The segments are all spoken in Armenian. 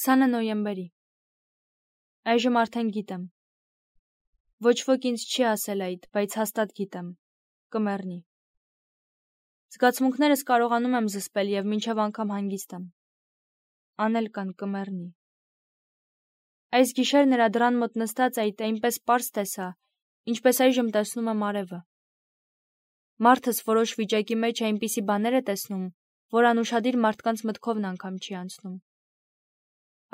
20 նոյեմբերի։ Այժմ արդեն գիտեմ։ Ոչ ոք ինձ չի ասել այդ, բայց հաստատ գիտեմ։ Կմեռնի։ Զգացմունքներս կարողանում եմ զսպել և մինչև անգամ հանգիստ եմ։ Անել կան կմեռնի։ Այս գիշեր նրա դռան մոտ նստած այդ այնպես պարզ տեսա, ինչպես այժմ տեսնում եմ արևը։ Մարդս որոշ վիճակի մեջ այնպիսի բաներ է տեսնում, որ անուշադիր մարդկանց մտքովն անգամ չի անցնում։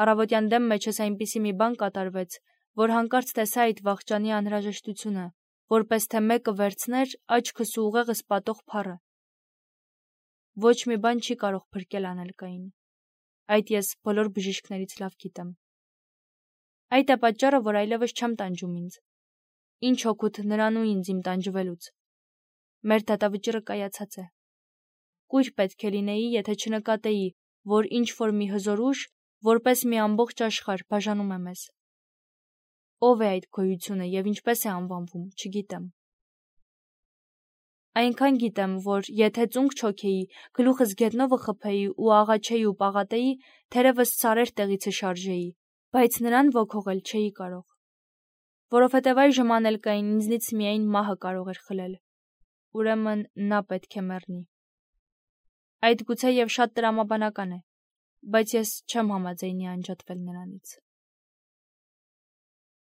Առավոտյան դեմ մեջս այնպիսի մի բան կատարվեց, որ հանկարծ տեսա այդ վախճանի անհրաժեշտությունը, որպես թե մեկը վերցներ աչքս ու ուղեղս պատող փառը։ Ոչ մի բան չի կարող փրկել անելկային։ Այդ ես բոլոր բժիշկներից լավ գիտեմ։ Այդ է պատճառը, որ այլևս չեմ տանջում ինձ։ Ինչ օգուտ նրան ու ինձ իմ տանջվելուց։ Մեր դատավճիռը կայացած է։ Կույր պետք է լինեի, եթե չնկատեի, որ ինչ որ մի հզոր ուժ, որպես մի ամբողջ աշխարհ բաժանում է մեզ։ Ով է այդ գոյությունը և ինչպես է անվանվում, չգիտեմ։ Այնքան գիտեմ, որ եթե ծունկ չոքեի, գլուխս գետնովը խփեի ու աղաչեի ու պաղատեի, թերևս սարեր տեղիցը շարժեի, բայց նրան ոգողել չէի կարող։ Որովհետև այժմ անելկային ինձնից միայն մահը կարող էր խլել։ Ուրեմն նա պետք է մեռնի։ Այդ գուցե և շատ տրամաբանական է, բայց ես չեմ համաձայնի անջատվել նրանից։